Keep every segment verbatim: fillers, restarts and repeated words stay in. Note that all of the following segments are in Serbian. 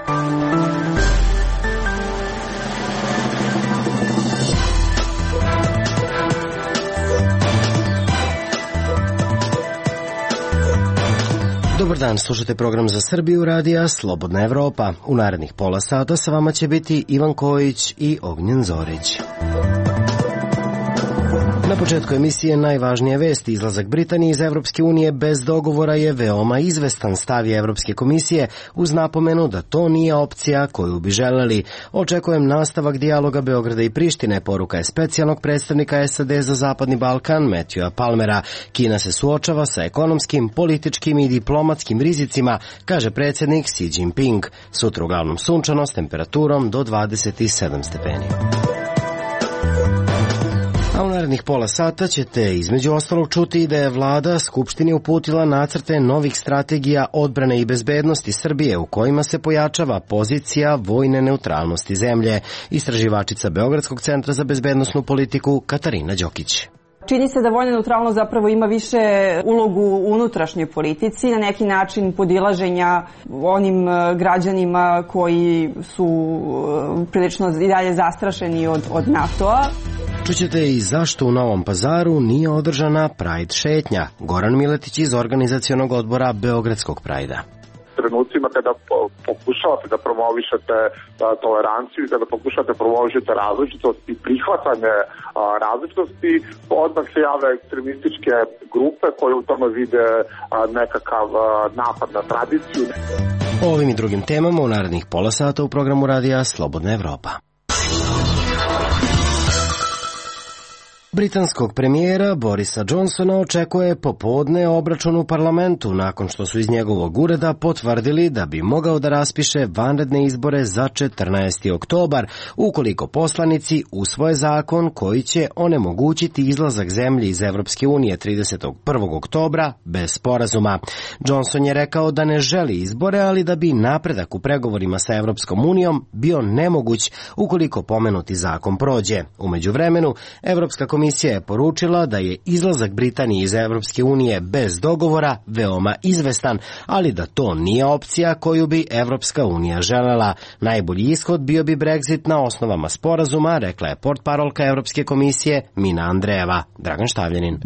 Dobar dan, slušate program za Srbiju radija Slobodna Evropa. U narednih pola sata sa vama će biti Ivan Kojić i Ognjen Zorić. Na početku emisije najvažnije vesti. Izlazak Britanije iz Evropske unije bez dogovora je veoma izvestan, stav je Evropske komisije uz napomenu da to nije opcija koju bi želeli. Očekujem nastavak dijaloga Beograda i Prištine, poruka je specijalnog predstavnika S A D za Zapadni Balkan Matthewa Palmera. Kina se suočava sa ekonomskim, političkim i diplomatskim rizicima, kaže predsjednik Xi Jinping. Sutra uglavnom sunčano s temperaturom do dvadeset sedam stepeni. A u narednih pola sata ćete između ostalog čuti da je vlada Skupštini uputila nacrte novih strategija odbrane i bezbednosti Srbije u kojima se pojačava pozicija vojne neutralnosti zemlje. Istraživačica Beogradskog centra za bezbednosnu politiku Katarina Đokić. Čini se da vojna neutralnost zapravo ima više ulogu u unutrašnjoj politici, na neki način podilaženja onim građanima koji su prilično i dalje zastrašeni od, od NATO-a. Čućete i zašto u Novom Pazaru nije održana Pride šetnja. Goran Miletić iz organizacionog odbora Beogradskog Prajda. Trenucima kada pokušavate da promovišete toleranciju i kada pokušavate da promovišete različitost i prihvatanje različitosti, odmah se jave ekstremističke grupe koje u tome vide nekakav napad na tradiciju. O ovim i drugim temama u narednih pola sata u programu radija Slobodna Evropa. Britanskog premijera Borisa Johnsona očekuje popodne obračun u parlamentu nakon što su iz njegovog ureda potvrdili da bi mogao da raspiše vanredne izbore za četrnaesti oktobar ukoliko poslanici usvoje zakon koji će onemogućiti izlazak zemlje iz Evropske unije tridesetog prvog oktobra bez sporazuma. Johnson je rekao da ne želi izbore, ali da bi napredak u pregovorima sa Evropskom unijom bio nemoguć ukoliko pomenuti zakon prođe. U međuvremenu, Evropska komisija Komisija je poručila da je izlazak Britanije iz Evropske unije bez dogovora veoma izvestan, ali da to nije opcija koju bi Evropska unija želela. Najbolji ishod bio bi Brexit na osnovama sporazuma, rekla je portparolka Evropske komisije Mina Andrejeva. Dragan Štavljanin.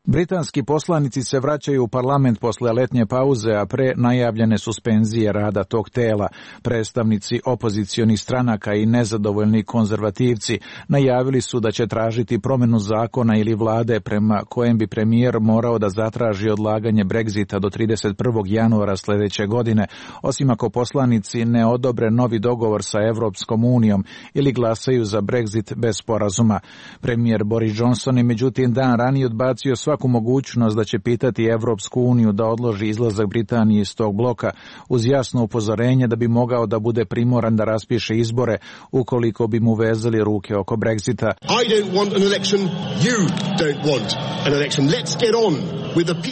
Britanski poslanici se vraćaju u parlament posle letnje pauze, a pre najavljene suspenzije rada tog tela. Predstavnici opozicionih stranaka i nezadovoljni konzervativci najavili su da će tražiti promenu zakona ili vlade prema kojem bi premijer morao da zatraži odlaganje Brexita do trideset prvog januara sledeće godine, osim ako poslanici ne odobre novi dogovor sa Evropskom unijom ili glasaju za Brexit bez sporazuma. Premijer Boris Johnson je međutim dan ranije odbacio svaku mogućnost da će pitati Evropsku uniju da odloži izlazak Britanije iz tog bloka uz jasno upozorenje da bi mogao da bude primoran da raspiše izbore ukoliko bi mu vezali ruke oko Brexita.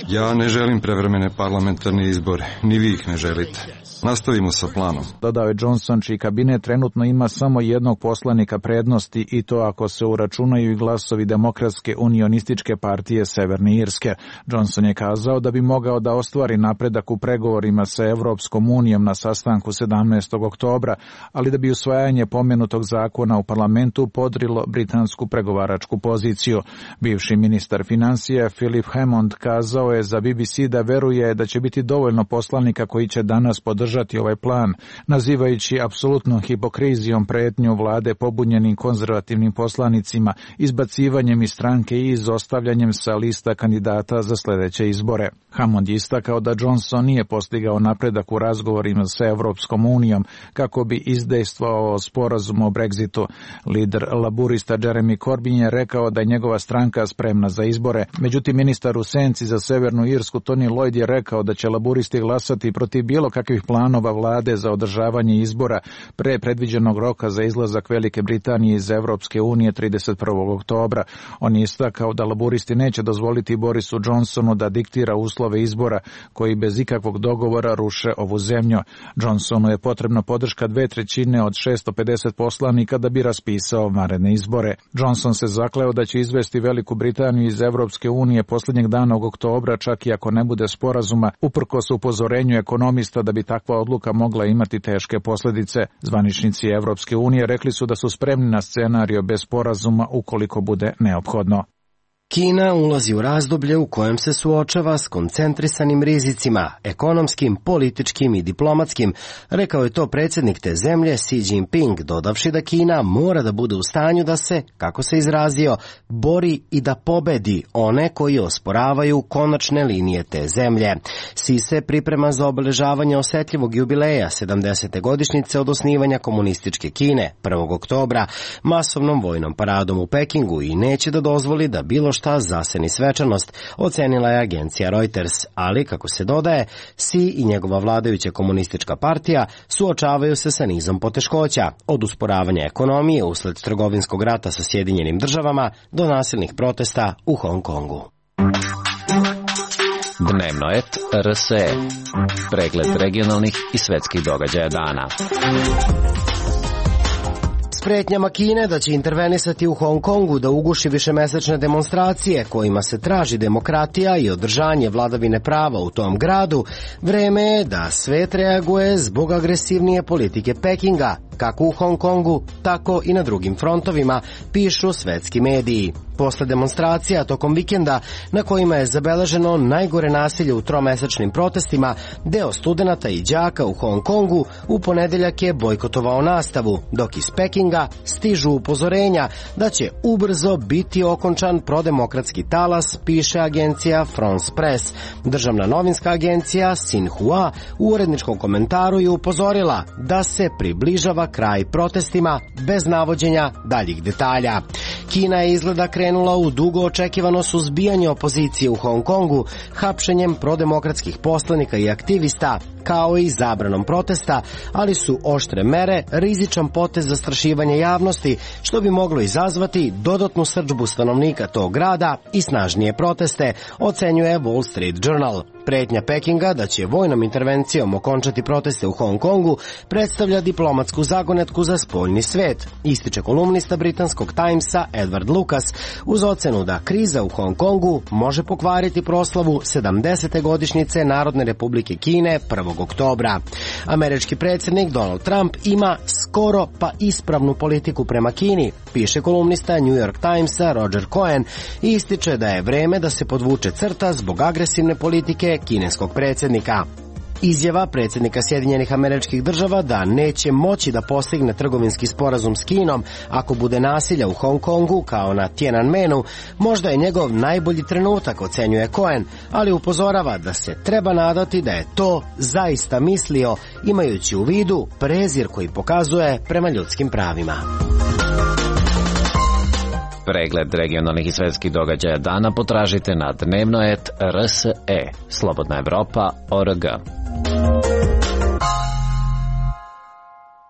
Ja ne želim prevremene parlamentarne izbore, ni vi ih ne želite. Nastavimo sa planom. Dodao je Johnson, čiji kabinet trenutno ima samo jednog poslanika prednosti i to ako se uračunaju i glasovi Demokratske unionističke partije Severne Irske. Johnson je kazao da bi mogao da ostvari napredak u pregovorima sa Evropskom unijom na sastanku sedamnaestog oktobra, ali da bi usvajanje pomenutog zakona u parlamentu podrilo britansku pregovaračku poziciju. Bivši ministar financija Philip Hammond kazao je za B B C da veruje da će biti dovoljno poslanika koji će danas podržati ovaj plan, nazivajući apsolutno hipokrizijom pretnju vlade pobunjenim konzervativnim poslanicima, izbacivanjem iz stranke i izostavljanjem sa lista kandidata za sledeće izbore. Hammond je istakao da Johnson nije postigao napredak u razgovorima sa Evropskom unijom kako bi izdejstvovao sporazum o Brexitu. Lider laburista Jeremy Corbyn je rekao da je njegova stranka spremna za izbore. Međutim, ministar u senci za Severnu Irsku Tony Lloyd je rekao da će laburisti glasati protiv bilo kakvih planova vlade za održavanje izbora pre predviđenog roka za izlazak Velike Britanije iz Evropske unije trideset prvog oktobra. On je istakao da laburisti neće dozvoliti Borisu Johnsonu da diktira uslove izbora koji bez ikakvog dogovora ruše ovu zemlju. Johnsonu je potrebna podrška dve trećine od šesto pedeset poslanika da bi raspisao vanredne izbore. Johnson se zakleo da će izvesti Veliku Britaniju iz Evropske unije poslednjeg dana oktobra, čak i ako ne bude sporazuma, uprkos upozorenju ekonomista da bi takva ovakva odluka mogla imati teške posljedice. Zvaničnici Evropske unije rekli su da su spremni na scenario bez sporazuma ukoliko bude neophodno. Kina ulazi u razdoblje u kojem se suočava s koncentrisanim rizicima, ekonomskim, političkim i diplomatskim, rekao je to predsjednik te zemlje Xi Jinping, dodavši da Kina mora da bude u stanju da se, kako se izrazio, bori i da pobedi one koji osporavaju konačne linije te zemlje. Xi se priprema za obeležavanje osetljivog jubileja sedamdesete godišnjice od osnivanja komunističke Kine prvog oktobra masovnom vojnom paradom u Pekingu i neće da dozvoli da bilo šta zaseni svečanost, ocenila je agencija Reuters, ali, kako se dodaje, Xi i njegova vladajuća komunistička partija suočavaju se sa nizom poteškoća, od usporavanja ekonomije usled trgovinskog rata sa Sjedinjenim državama do nasilnih protesta u Hong Kongu. Dnevno et R S E. Pregled regionalnih i svetskih događaja dana. S pretnjama Kine da će intervenisati u Hong Kongu da uguši višemesečne demonstracije kojima se traži demokratija i održanje vladavine prava u tom gradu, vreme je da svet reaguje zbog agresivnije politike Pekinga, kako u Hong Kongu, tako i na drugim frontovima, pišu svetski mediji. Posle demonstracija tokom vikenda, na kojima je zabeleženo najgore nasilje u tromesečnim protestima, deo studenata i đaka u Hong Kongu u ponedeljak je bojkotovao nastavu, dok iz Pekinga stižu upozorenja da će ubrzo biti okončan prodemokratski talas, piše agencija France Press. Državna novinska agencija Xinhua u uredničkom komentaru je upozorila da se približava kraj protestima bez navođenja daljih detalja. Kina je izgleda krenula u dugo očekivano suzbijanje opozicije u Hong Kongu, hapšenjem prodemokratskih poslanika i aktivista, kao i zabranom protesta, ali su oštre mere rizičan potez zastrašivanja javnosti, što bi moglo izazvati dodatnu srdžbu stanovnika tog grada i snažnije proteste, ocenjuje Wall Street Journal. Pretnja Pekinga da će vojnom intervencijom okončati proteste u Hong Kongu predstavlja diplomatsku zagonetku za spoljni svet, ističe kolumnista britanskog Timesa Edward Lucas, uz ocenu da kriza u Hong Kongu može pokvariti proslavu sedamdesete godišnjice Narodne republike Kine prvog oktobra. Američki predsjednik Donald Trump ima skoro pa ispravnu politiku prema Kini, piše kolumnista New York Timesa Roger Cohen, i ističe da je vreme da se podvuče crta zbog agresivne politike kineskog predsjednika. Izjava predsjednika Sjedinjenih Američkih Država da neće moći da postigne trgovinski sporazum s Kinom ako bude nasilja u Hong Kongu kao na Tiananmenu, možda je njegov najbolji trenutak, ocenjuje Cohen, ali upozorava da se treba nadati da je to zaista mislio, imajući u vidu prezir koji pokazuje prema ljudskim pravima. Pregled regionalnih i svetskih događaja dana potražite na dnevno et R S E, Slobodna Evropa, O R G.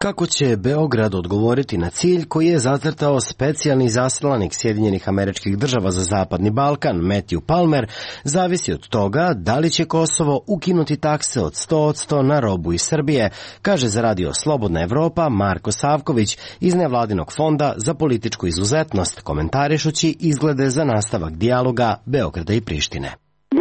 Kako će Beograd odgovoriti na cilj koji je zacrtao specijalni izaslanik Sjedinjenih Američkih Država za Zapadni Balkan, Matthew Palmer, zavisi od toga da li će Kosovo ukinuti takse od sto posto na robu iz Srbije, kaže za radio Slobodna Evropa Marko Savković iz nevladinog fonda za političku izuzetnost, komentarišući izglede za nastavak dijaloga Beograda i Prištine.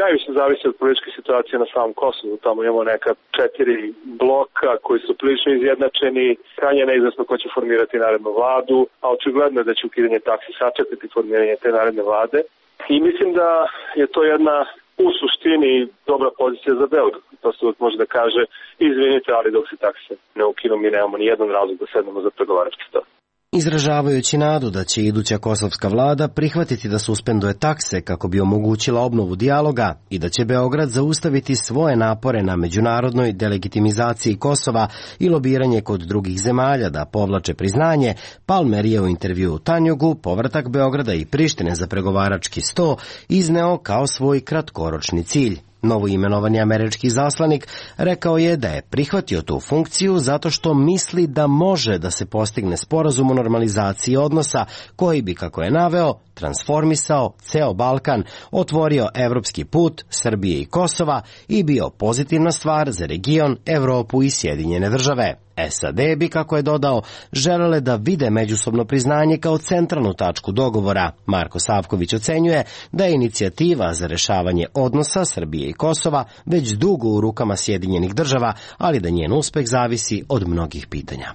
Najviše zavisi od političke situacije na samom Kosovu. Tamo imamo neka četiri bloka koji su prilično izjednačeni. Krajnje neizvesno ko će formirati narednu vladu, a očigledno je da će ukidanje taksi sačekati formiranje te naredne vlade. I mislim da je to jedna u suštini dobra pozicija za Beograd. To se uvijek može da kaže, izvinite, ali dok se takse ne ukinu, mi nemamo ni jedan razlog da sednemo za pregovarački stol. Izražavajući nadu da će iduća kosovska vlada prihvatiti da suspenduje takse kako bi omogućila obnovu dijaloga i da će Beograd zaustaviti svoje napore na međunarodnoj delegitimizaciji Kosova i lobiranje kod drugih zemalja da povlače priznanje, Palmer je u intervjuu u Tanjugu povratak Beograda i Prištine za pregovarački sto izneo kao svoj kratkoročni cilj. Novoimenovani američki izaslanik rekao je da je prihvatio tu funkciju zato što misli da može da se postigne sporazum o normalizaciji odnosa koji bi, kako je naveo, transformisao ceo Balkan, otvorio evropski put Srbije i Kosova i bio pozitivna stvar za region, Evropu i Sjedinjene države. S A D bi, kako je dodao, želele da vide međusobno priznanje kao centralnu tačku dogovora. Marko Savković ocenjuje da je inicijativa za rešavanje odnosa Srbije i Kosova već dugo u rukama Sjedinjenih država, ali da njen uspeh zavisi od mnogih pitanja.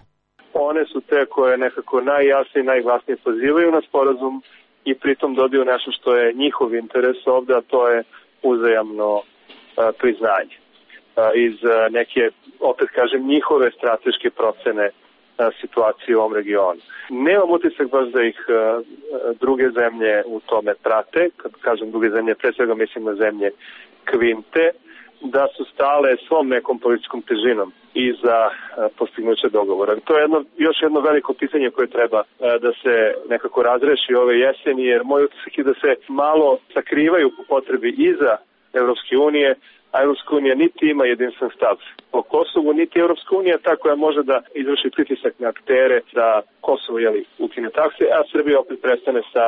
One su te koje nekako najjasnije i najglasnije pozivaju na sporazum i pritom dodaju nešto što je njihov interes ovde, a to je uzajamno a, priznanje. A, iz a, neke, opet kažem, njihove strateške procene a, situacije u ovom regionu. Nemam utisak baš da ih a, druge zemlje u tome prate. Kad kažem druge zemlje, pre svega mislim na zemlje Kvinte, da su stale svom nekom političkom težinom i za postignuće dogovora. To je jedno, još jedno veliko pitanje koje treba da se nekako razreši ove jeseni, jer moj utisak je da se malo sakrivaju po potrebi iza Evropske unije, a Evropska unija niti ima jedinstven stav o Kosovu, niti Evropska unija ta koja može da izvrši pritisak na aktere da Kosovo jeli, ukine takse, a Srbija opet prestane sa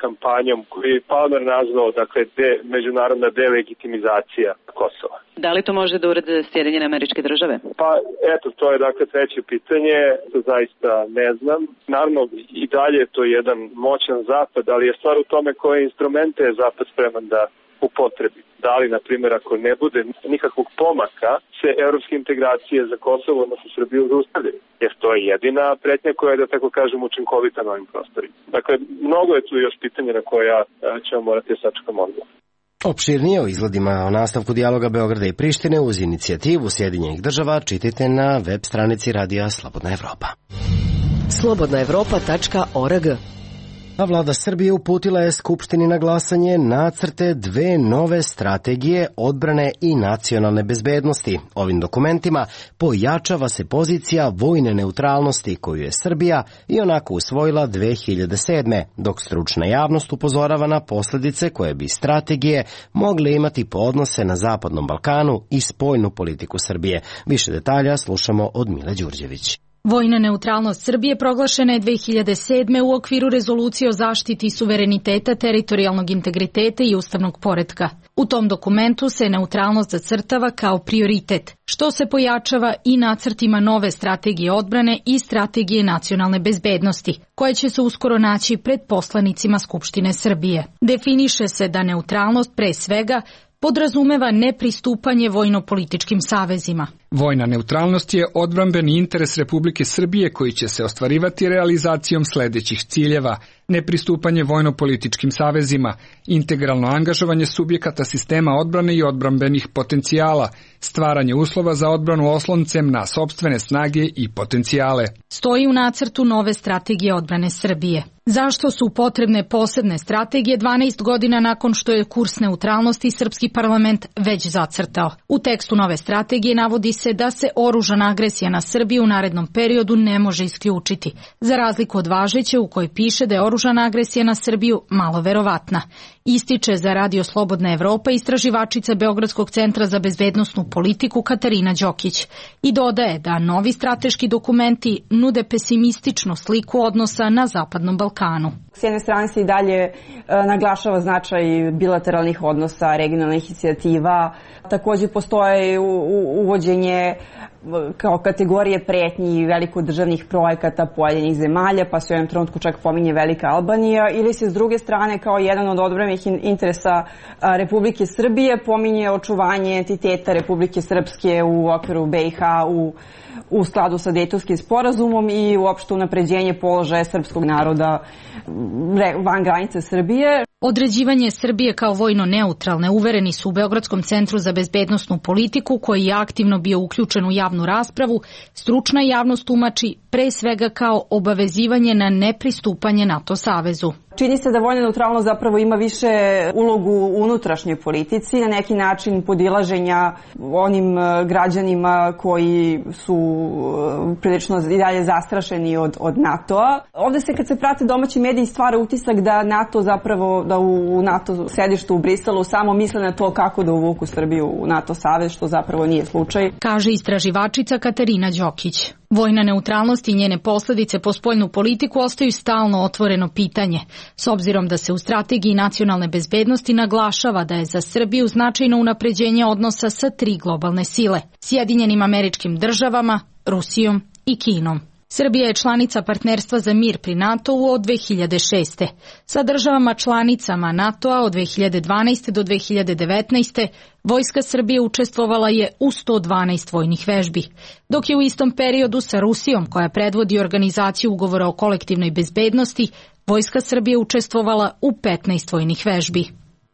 kampanjom koju je Palmer nazvao, dakle, de, međunarodna delegitimizacija Kosova. Da li to može da urade Sjedinjene Američke Države? Pa, eto, to je dakle treće pitanje, to zaista ne znam. Naravno, i dalje je to jedan moćan zapad, ali je stvar u tome koje instrumente je zapad spreman da upotrebi. Da li, na primjer, ako ne bude nikakvog pomaka, se evropske integracije za Kosovo, odnosno Srbiju, zaustavljaju. Jer to je jedina pretnja koja je, da tako kažem, učinkovita na ovim prostorima. Dakle, mnogo je tu još pitanja na koja ćemo morati sačekati odgovor. Opširnije o izgledima o nastavku dijaloga Beograda i Prištine uz inicijativu Sjedinjenih država čitajte na web stranici radija Slobodna Evropa. slobodna evropa tačka org. A vlada Srbije uputila je Skupštini na glasanje nacrte dve nove strategije odbrane i nacionalne bezbednosti. Ovim dokumentima pojačava se pozicija vojne neutralnosti koju je Srbija i onako usvojila dve hiljade sedme. Dok stručna javnost upozorava na posljedice koje bi strategije mogle imati po odnose na Zapadnom Balkanu i spoljnu politiku Srbije. Više detalja slušamo od Mile Đurđević. Vojna neutralnost Srbije proglašena je dve hiljade sedme u okviru rezolucije o zaštiti suvereniteta, teritorijalnog integriteta i ustavnog poretka. U tom dokumentu se neutralnost zacrtava kao prioritet, što se pojačava i nacrtima nove strategije odbrane i strategije nacionalne bezbednosti, koje će se uskoro naći pred poslanicima Skupštine Srbije. Definiše se da neutralnost pre svega podrazumeva nepristupanje vojno-političkim savezima. Vojna neutralnost je odbrambeni interes Republike Srbije koji će se ostvarivati realizacijom sledećih ciljeva: nepristupanje vojno-političkim savezima, integralno angažovanje subjekata sistema odbrane i odbrambenih potencijala, stvaranje uslova za odbranu osloncem na sopstvene snage i potencijale. Stoji u nacrtu nove strategije odbrane Srbije. Zašto su potrebne posebne strategije dvanaest godina nakon što je kurs neutralnosti srpski parlament već zacrtao? U tekstu nove strategije navodi se da se oružana agresija na Srbiju u narednom periodu ne može isključiti, za razliku od važeće u kojoj piše da je oružana agresija na Srbiju malo verovatna. Ističe za Radio Slobodna Evropa istraživačica Beogradskog centra za bezbednosnu politiku Katarina Đokić i dodaje da novi strateški dokumenti nude pesimističnu sliku odnosa na Zapadnom Balkanu. S jedne strane se i dalje e, naglašava značaj bilateralnih odnosa, regionalnih inicijativa. Takođe postoje u, u, uvođenje kao kategorije pretnji velikodržavnih projekata pojedinih zemalja, pa se u jednom trenutku čak pominje Velika Albanija, ili se s druge strane kao jedan od odbrambenih interesa Republike Srbije pominje očuvanje entiteta Republike Srpske u okviru B i H u u skladu sa Dejtonskim sporazumom i uopšte unapređenje položaja srpskog naroda van granice Srbije. Određivanje Srbije kao vojno neutralne uvereni su u Beogradskom centru za bezbednosnu politiku, koji je aktivno bio uključen u javnu raspravu, stručna javnost tumači pre svega kao obavezivanje na nepristupanje NATO savezu. Čini se da vojna neutralnost zapravo ima više ulogu u unutrašnjoj politici, na neki način podilaženja onim građanima koji su prilično i dalje zastrašeni od, od NATO-a. Ovde se kad se prate domaći mediji stvara utisak da NATO zapravo, da u NATO sedištu u Briselu samo misle na to kako da uvuku Srbiju u NATO savez, što zapravo nije slučaj. Kaže istraživačica Katarina Đokić. Vojna neutralnost i njene posledice po spoljnu politiku ostaju stalno otvoreno pitanje, s obzirom da se u strategiji nacionalne bezbednosti naglašava da je za Srbiju značajno unapređenje odnosa sa tri globalne sile, Sjedinjenim Američkim Državama, Rusijom i Kinom. Srbija je članica Partnerstva za mir pri NATO-u od dve hiljade šeste. Sa državama članicama NATO-a od dve hiljade dvanaeste. do dve hiljade devetnaeste. Vojska Srbije učestvovala je u sto dvanaest vojnih vežbi, dok je u istom periodu sa Rusijom, koja predvodi organizaciju ugovora o kolektivnoj bezbednosti, Vojska Srbije učestvovala u petnaest vojnih vežbi.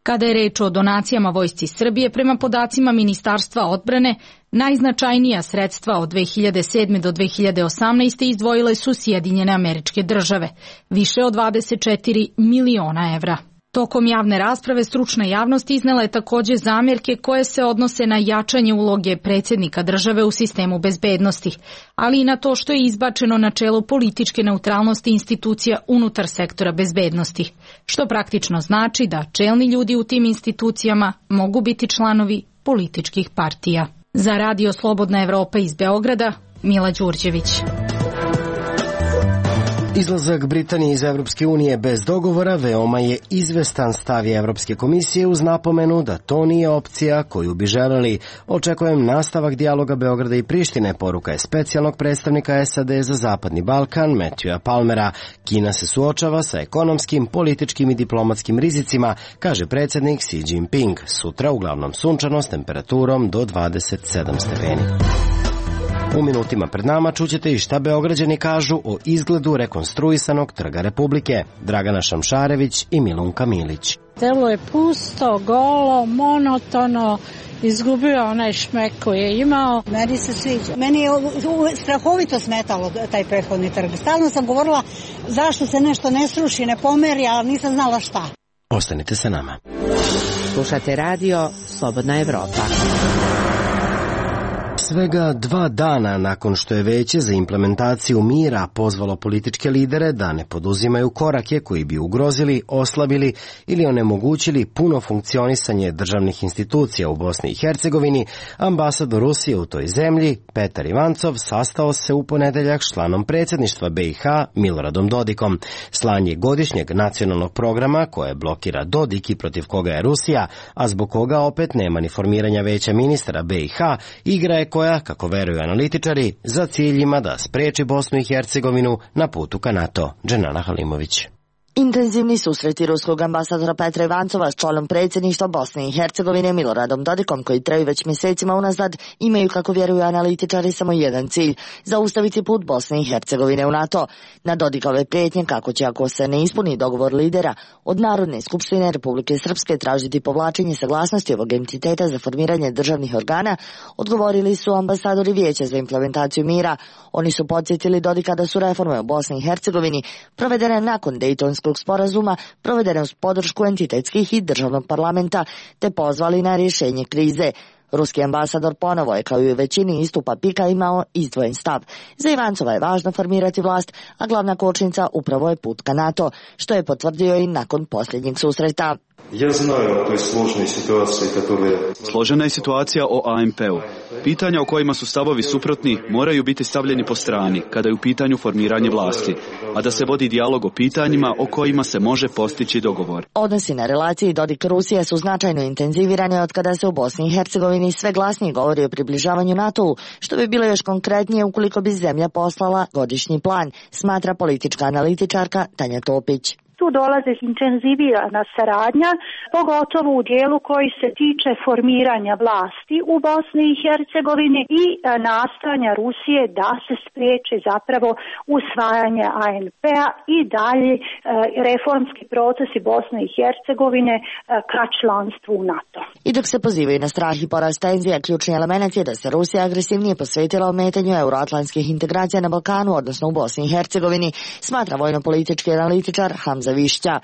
Kada je reč o donacijama Vojsci Srbije, prema podacima Ministarstva odbrane, najznačajnija sredstva od dve hiljade sedme. do dve hiljade osamnaeste. izdvojile su Sjedinjene Američke Države, više od dvadeset četiri miliona evra. Tokom javne rasprave stručna javnost iznela je takođe zamjerke koje se odnose na jačanje uloge predsjednika države u sistemu bezbednosti, ali i na to što je izbačeno načelo političke neutralnosti institucija unutar sektora bezbednosti, što praktično znači da čelni ljudi u tim institucijama mogu biti članovi političkih partija. Za Radio Slobodna Evropa iz Beograda, Mila Đurđević. Izlazak Britanije iz Evropske unije bez dogovora veoma je izvestan, stav je Evropske komisije uz napomenu da to nije opcija koju bi želeli. Očekujem nastavak dijaloga Beograda i Prištine, poruka je specijalnog predstavnika S A D za Zapadni Balkan Matthewa Palmera. Kina se suočava sa ekonomskim, političkim i diplomatskim rizicima, kaže predsjednik Xi Jinping. Sutra uglavnom sunčano s temperaturom do dvadeset sedam stepeni. U minutima pred nama čućete i šta Beograđani kažu o izgledu rekonstruisanog Trga Republike. Dragana Šamšarević i Milunka Milić. Telo je pusto, golo, monotono, izgubio onaj šmek koji je imao. Meni se sviđa. Meni je strahovito smetalo taj prethodni trg. Stalno sam govorila zašto se nešto ne sruši, ne pomeri, ali nisam znala šta. Ostanite sa nama. Slušate radio Slobodna Evropa. Svega dva dana nakon što je Veće za implementaciju mira pozvalo političke lidere da ne poduzimaju korake koji bi ugrozili, oslabili ili onemogućili puno funkcionisanje državnih institucija u Bosni i Hercegovini, ambasador Rusije u toj zemlji, Petar Ivancov, sastao se u ponedeljak s članom predsjedništva B i H Miloradom Dodikom. Slanje godišnjeg nacionalnog programa koje blokira Dodik i protiv koga je Rusija, a zbog koga opet nema ni formiranja Veća ministara B i H, igra je koja, kako veruju analitičari, za cilj ima da spreči Bosnu i Hercegovinu na putu ka NATO. Dženana Halimović. Intenzivni susreti ruskog ambasadora Petra Ivancova s članom predsjedništva Bosne i Hercegovine Miloradom Dodikom, koji traju već mjesecima unazad, imaju, kako vjeruju analitičari, samo jedan cilj – zaustaviti put Bosne i Hercegovine u NATO. Na Dodikove prijetnje kako će, ako se ne ispuni dogovor lidera, od Narodne skupštine Republike Srpske tražiti povlačenje saglasnosti ovog entiteta za formiranje državnih organa, odgovorili su ambasadori Vijeća za implementaciju mira. Oni su podsjetili Dodika da su reforme u Bosni i Hercegovini provedene nakon Dejtonskog sporazuma, provedene uz podršku entitetskih i državnog parlamenta, te pozvali na rješenje krize. Ruski ambasador ponovo je, kao i u većini istupa Pika, imao izdvojen stav. Za Ivancova je važno formirati vlast, a glavna kočnica upravo je put ka NATO, što je potvrdio i nakon posljednjeg susreta. Ja znaju o toj složenoj situaciji. Složena je situacija o A M P-u. Pitanja o kojima su stavovi suprotni moraju biti stavljeni po strani kada je u pitanju formiranje vlasti, a da se vodi dijalog o pitanjima o kojima se može postići dogovor. Odnosi na relaciji Dodik-Rusija su značajno intenzivirane od kada se u Bosni i Hercegovini sve glasnije govori o približavanju NATO-u, što bi bilo još konkretnije ukoliko bi zemlja poslala godišnji plan, smatra politička analitičarka Tanja Topić. Tu dolaze intenzivirana saradnja, pogotovo u dijelu koji se tiče formiranja vlasti u Bosni i Hercegovini i nastojanja Rusije da se spriječi zapravo usvajanje A N P-a i dalje reformski procesi Bosne i Hercegovine ka članstvu u NATO. I dok se pozivaju na strah i porast tenzija, ključni element je da se Rusija agresivnije posvetila ometanju euroatlantskih integracija na Balkanu, odnosno u Bosni i Hercegovini, smatra vojno-politički analitičar Hamza Višća.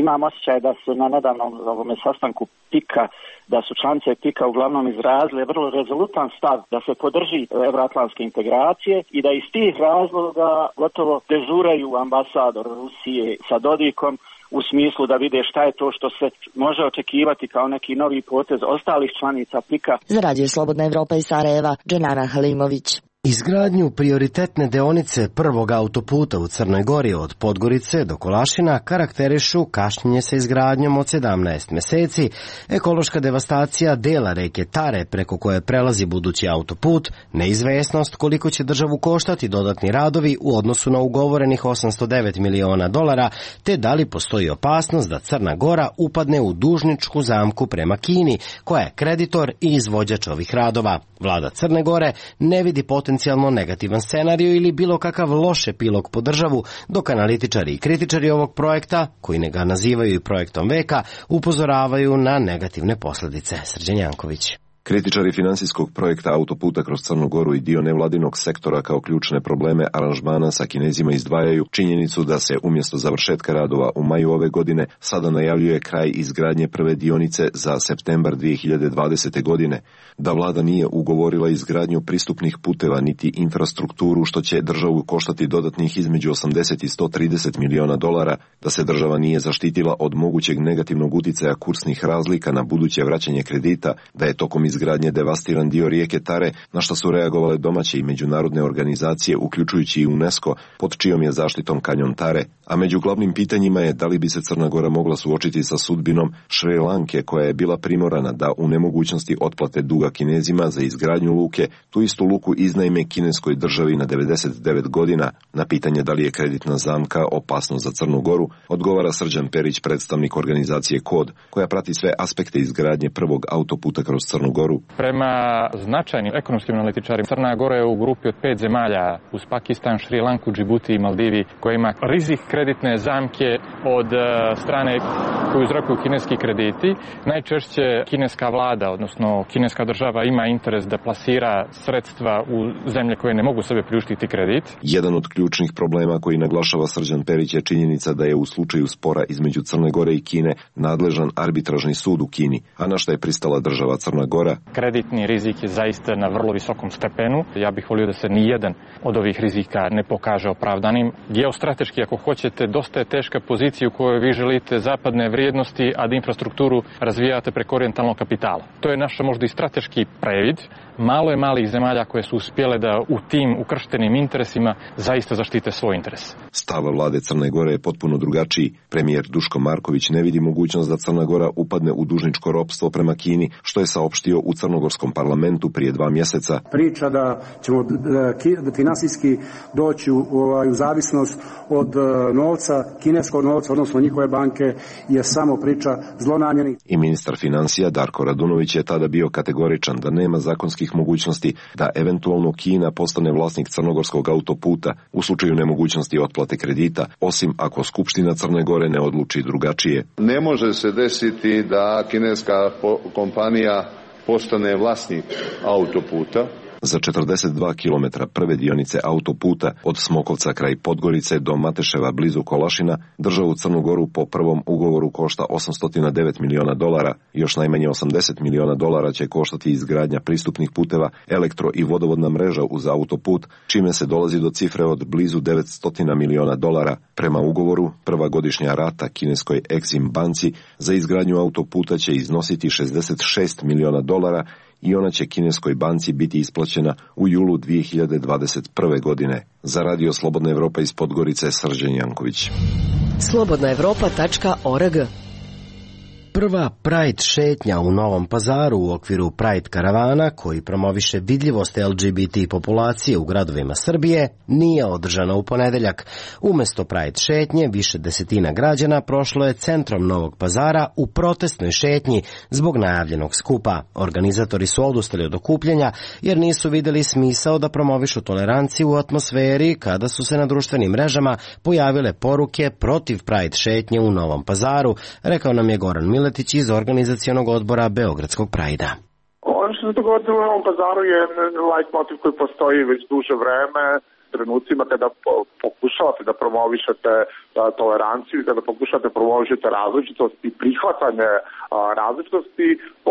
Imam osjećaj da su na nedavnom ovome sastanku Pika, da su članice Pika uglavnom izrazile vrlo rezolutan stav da se podrži euroatlantske integracije i da iz tih razloga gotovo dežuraju ambasador Rusije sa Dodikom u smislu da vide šta je to što se može očekivati kao neki novi potez ostalih članica Pika. Za Radio Slobodna Evropa iz Sarajeva, Dženana Halimović. Izgradnju prioritetne deonice prvog autoputa u Crnoj Gori od Podgorice do Kolašina karakterišu kašnjenje sa izgradnjom od sedamnaest meseci, ekološka devastacija dela reke Tare preko koje prelazi budući autoput, neizvesnost koliko će državu koštati dodatni radovi u odnosu na ugovorenih osamsto devet miliona dolara, te da li postoji opasnost da Crna Gora upadne u dužničku zamku prema Kini, koja je kreditor i izvođač ovih radova. Vlada Crne Gore ne vidi potencijalno negativan scenariju ili bilo kakav loš epilog po državu, dok analitičari i kritičari ovog projekta, koji ne ga nazivaju i projektom veka, upozoravaju na negativne posledice. Srđan Janković. Kritičari finansijskog projekta autoputa kroz Crnu Goru i dio nevladinog sektora kao ključne probleme aranžmana sa Kinezima izdvajaju činjenicu da se umjesto završetka radova u maju ove godine sada najavljuje kraj izgradnje prve dionice za septembar dvije hiljade dvadesete. godine, da vlada nije ugovorila izgradnju pristupnih puteva niti infrastrukturu što će državu koštati dodatnih između osamdeset i sto trideset miliona dolara, da se država nije zaštitila od mogućeg negativnog uticaja kursnih razlika na buduće vraćanje kredita, da je tokom izgradnje devastiran dio rijeke Tare, na što su reagovale domaće i međunarodne organizacije, uključujući i UNESCO, pod čijom je zaštitom kanjon Tare, a među glavnim pitanjima je da li bi se Crna Gora mogla suočiti sa sudbinom Šri Lanke, koja je bila primorana da u nemogućnosti otplate duga Kinezima za izgradnju luke, tu istu luku iznajme kineskoj državi na devedeset devet godina. Na pitanje da li je kreditna zamka opasnost za Crnu Goru, odgovara Srđan Perić, predstavnik organizacije Kod, koja prati sve aspekte izgradnje prvog autoputa kroz Crnu Goru. Prema značajnim ekonomskim analitičarima, Crna Gora je u grupi od pet zemalja uz Pakistan, Šri Lanku, Džibuti i Maldivi, koja ima rizik kreditne zamke od strane koju uzrokuju kineski krediti. Najčešće kineska vlada, odnosno kineska država, ima interes da plasira sredstva u zemlje koje ne mogu sebe priuštiti kredit. Jedan od ključnih problema koji naglašava Srđan Perić je činjenica da je u slučaju spora između Crne Gore i Kine nadležan arbitražni sud u Kini, a na šta je pristala država Crna Gora. Kreditni rizik je zaista na vrlo visokom stepenu. Ja bih volio da se ni jedan od ovih rizika ne pokaže opravdanim. Geostrateški, ako hoćete, dosta je teška pozicija u kojoj vi želite zapadne vrijednosti, a da infrastrukturu razvijate preko orijentalnog kapitala. To je naš možda i strateški previd. Malo je malih zemalja koje su uspjele da u tim ukrštenim interesima zaista zaštite svoj interes. Stav vlade Crne Gore je potpuno drugačiji. Premijer Duško Marković ne vidi mogućnost da Crna Gora upadne u dužničko ropstvo prema Kini, što je saopštio u crnogorskom parlamentu prije dva mjeseca. Priča da ćemo da finansijski doći u, u zavisnost od novca, kineskog novca, odnosno njihove banke, je samo priča zlonamjernih. I ministar financija Darko Radunović je tada bio kategoričan da nema zakonskih mogućnosti da eventualno Kina postane vlasnik crnogorskog autoputa u slučaju nemogućnosti otplate kredita, osim ako Skupština Crne Gore ne odluči drugačije. Ne može se desiti da kineska kompanija postane vlasnik autoputa. Za četrdeset dva kilometra prve dionice autoputa od Smokovca kraj Podgorice do Mateševa blizu Kolašina, državu Crnu Goru po prvom ugovoru košta osamsto devet miliona dolara. Još najmanje osamdeset miliona dolara će koštati izgradnja pristupnih puteva, elektro i vodovodna mreža uz autoput, čime se dolazi do cifre od blizu devetsto miliona dolara. Prema ugovoru, prva godišnja rata kineskoj Exim banci za izgradnju autoputa će iznositi šezdeset šest miliona dolara i ona će kineskoj banci biti isplaćena u julu dvije hiljade dvadeset prve. godine. Za Radio Slobodna Evropa iz Podgorice, Srđan Janković. slobodna evropa tačka org. Prva Pride šetnja u Novom Pazaru u okviru Pride karavana, koji promoviše vidljivost L G B T populacije u gradovima Srbije, nije održana u ponedeljak. Umesto Pride šetnje, više desetina građana prošlo je centrom Novog Pazara u protestnoj šetnji zbog najavljenog skupa. Organizatori su odustali od okupljanja jer nisu vidjeli smisao da promovišu toleranciju u atmosferi kada su se na društvenim mrežama pojavile poruke protiv Pride šetnje u Novom Pazaru, rekao nam je Goran Miletić iz organizacionog odbora Beogradskog Prajda. Ono što se dogodilo u Novom Pazaru je light motiv koji postoji već duže vreme. Trenucima kada pokušavate da promovišete toleranciju, kada pokušavate promovišete različitost i prihvatanje različitosti,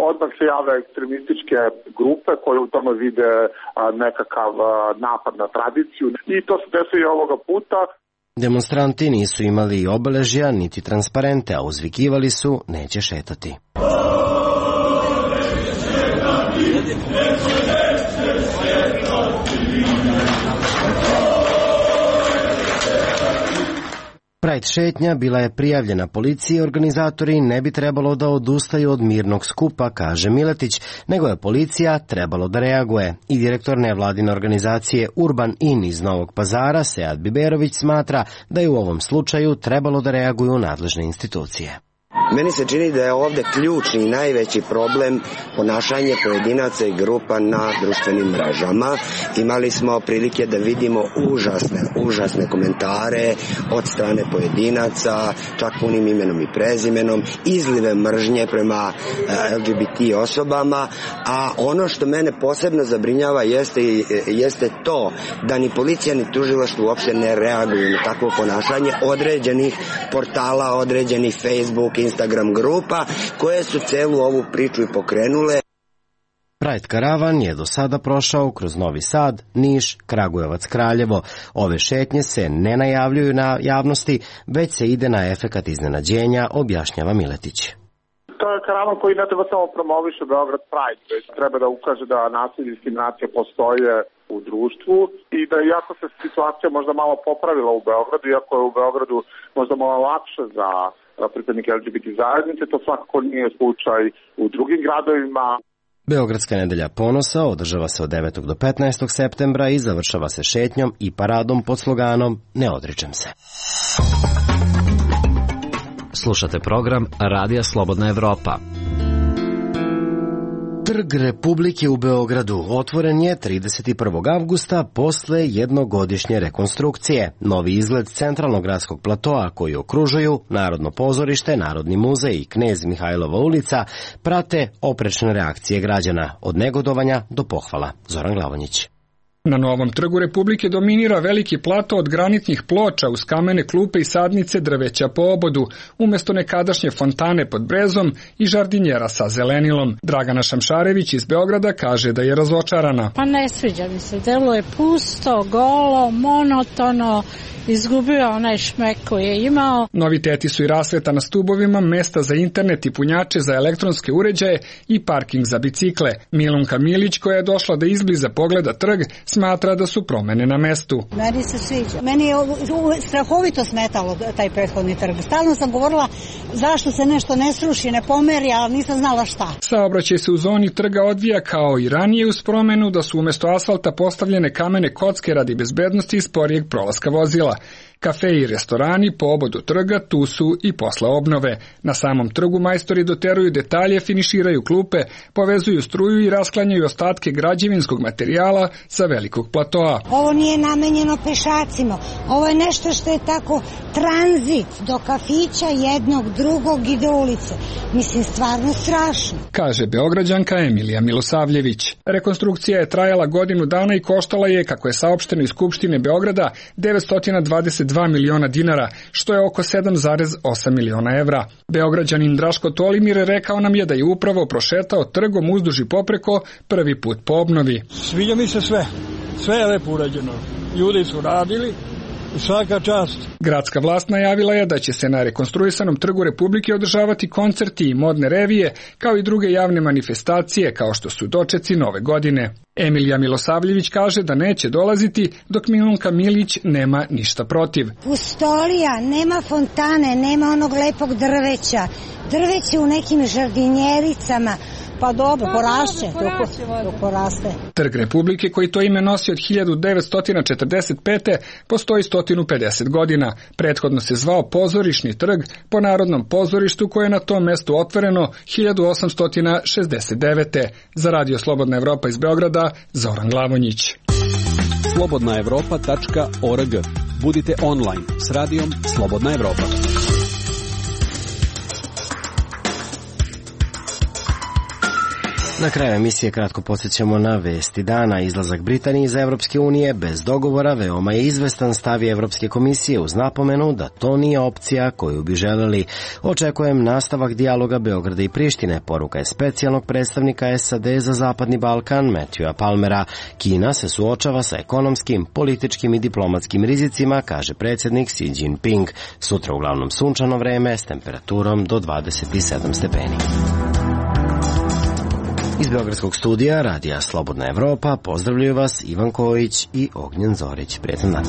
odmah se jave ekstremističke grupe koje u tome vide nekakav napad na tradiciju. I to se desilo i ovoga puta. Demonstranti nisu imali obeležja niti transparente, a uzvikivali su neće šetati. Pride šetnja bila je prijavljena policiji, organizatori ne bi trebalo da odustaju od mirnog skupa, kaže Miletić, nego je policija trebalo da reaguje. I direktor nevladine organizacije Urban In iz Novog Pazara, Sead Biberović, smatra da je u ovom slučaju trebalo da reaguju nadležne institucije. Meni se čini da je ovde ključni i najveći problem ponašanje pojedinaca i grupa na društvenim mrežama. Imali smo prilike da vidimo užasne, užasne komentare od strane pojedinaca, čak punim imenom i prezimenom, izlive mržnje prema L G B T osobama, a ono što mene posebno zabrinjava jeste, jeste to da ni policija ni tužilaštvo uopšte ne reaguju na takvo ponašanje određenih portala, određenih Facebook, Instagram grupa koje su celu ovu priču i pokrenule. Pride karavan je do sada prošao kroz Novi Sad, Niš, Kragujevac, Kraljevo. Ove šetnje se ne najavljuju na javnosti, već se ide na efekat iznenađenja, objašnjava Miletić. To je karavan koji ne treba samo promoviše Beograd Pride, već treba da ukaže da nasilje i diskriminacija postoje u društvu i da iako se situacija možda malo popravila u Beogradu, iako je u Beogradu možda malo lakše za pripadnike L G B T zajednice, to svakako nije slučaj u drugim gradovima. Beogradska nedelja ponosa održava se od devetog do petnaestog septembra i završava se šetnjom i paradom pod sloganom Ne odričem se. Slušate program Radija Slobodna Evropa. Trg Republike u Beogradu otvoren je trideset prvog avgusta posle jednogodišnje rekonstrukcije. Novi izgled centralnog gradskog platoa koji okružuju Narodno pozorište, Narodni muzej i Knez Mihajlova ulica prate oprečne reakcije građana, od negodovanja do pohvala. Zoran Glavonjić. Na novom trgu Republike dominira veliki plato od granitnih ploča uz kamene klupe i sadnice drveća po obodu, umesto nekadašnje fontane pod brezom i žardinjera sa zelenilom. Dragana Šamšarević iz Beograda kaže da je razočarana. Pa ne sviđa mi se, delo je pusto, golo, monotono, izgubio onaj šmek koji je imao. Noviteti su i rasveta na stubovima, mesta za internet i punjače za elektronske uređaje i parking za bicikle. Milunka Milić, koja je došla da izbliza pogleda trg, smatra da su promene na mestu. Meni se sviđa. Meni je strahovito smetalo taj prethodni trg. Stalno sam govorila zašto se nešto ne sruši, ne pomeri, ali nisam znala šta. Saobraćaj se u zoni trga odvija kao i ranije uz promenu da su umesto asfalta postavljene kamene kocke radi bezbednosti i sporijeg prolaska vozila. Kafe i restorani po obodu trga tu su i posle obnove. Na samom trgu majstori doteruju detalje, finiširaju klupe, povezuju struju i rasklanjaju ostatke građevinskog materijala sa velikog platoa. Ovo nije namenjeno pešacima. Ovo je nešto što je tako tranzit do kafića jednog, drugog i do ulice. Mislim, stvarno strašno. Kaže Beograđanka Emilija Milosavljević. Rekonstrukcija je trajala godinu dana i koštala je, kako je saopšteno iz Skupštine Beograda, devetsto dvadeset dva miliona dinara, što je oko sedam zarez osam miliona evra. Beograđanin Draško Tolimir rekao nam je da je upravo prošetao trgom uzduž i popreko prvi put po obnovi. Sviđa mi se sve. Sve je lepo urađeno. Ljudi su radili. Svaka čast. Gradska vlast najavila je da će se na rekonstruisanom trgu Republike održavati koncerti i modne revije, kao i druge javne manifestacije, kao što su dočeci Nove godine. Emilija Milosavljević kaže da neće dolaziti, dok Milunka Milić nema ništa protiv. Pustolija, nema fontane, nema onog lepog drveća. Drveće u nekim žardinjericama. Pa dobro, porašće, dok poraste. Trg Republike, koji to ime nosi od hiljadu devetsto četrdeset pete. postoji sto pedeset godina. Prethodno se zvao Pozorišni trg po Narodnom pozorištu koje je na tom mestu otvoreno hiljadu osamsto šezdeset devete. Za Radio Slobodna Evropa iz Beograda, Zoran Glavonjić. slobodna evropa tačka org. Budite online s radijom Slobodna Evropa. Na kraju emisije kratko podsjećamo na vesti dana. Izlazak Britanije iz Evropske unije bez dogovora veoma je izvestan, stavi Evropske komisije uz napomenu da to nije opcija koju bi želeli. Očekujem nastavak dijaloga Beograda i Prištine, poruka je specijalnog predstavnika S A D za Zapadni Balkan Matthewa Palmera. Kina se suočava sa ekonomskim, političkim i diplomatskim rizicima, kaže predsjednik Xi Jinping. Sutra uglavnom sunčano vreme s temperaturom do dvadeset sedam stepeni. Iz Beogradskog studija Radija Slobodna Evropa pozdravljaju vas Ivan Kojić i Ognjen Zorić. Prijetan dan.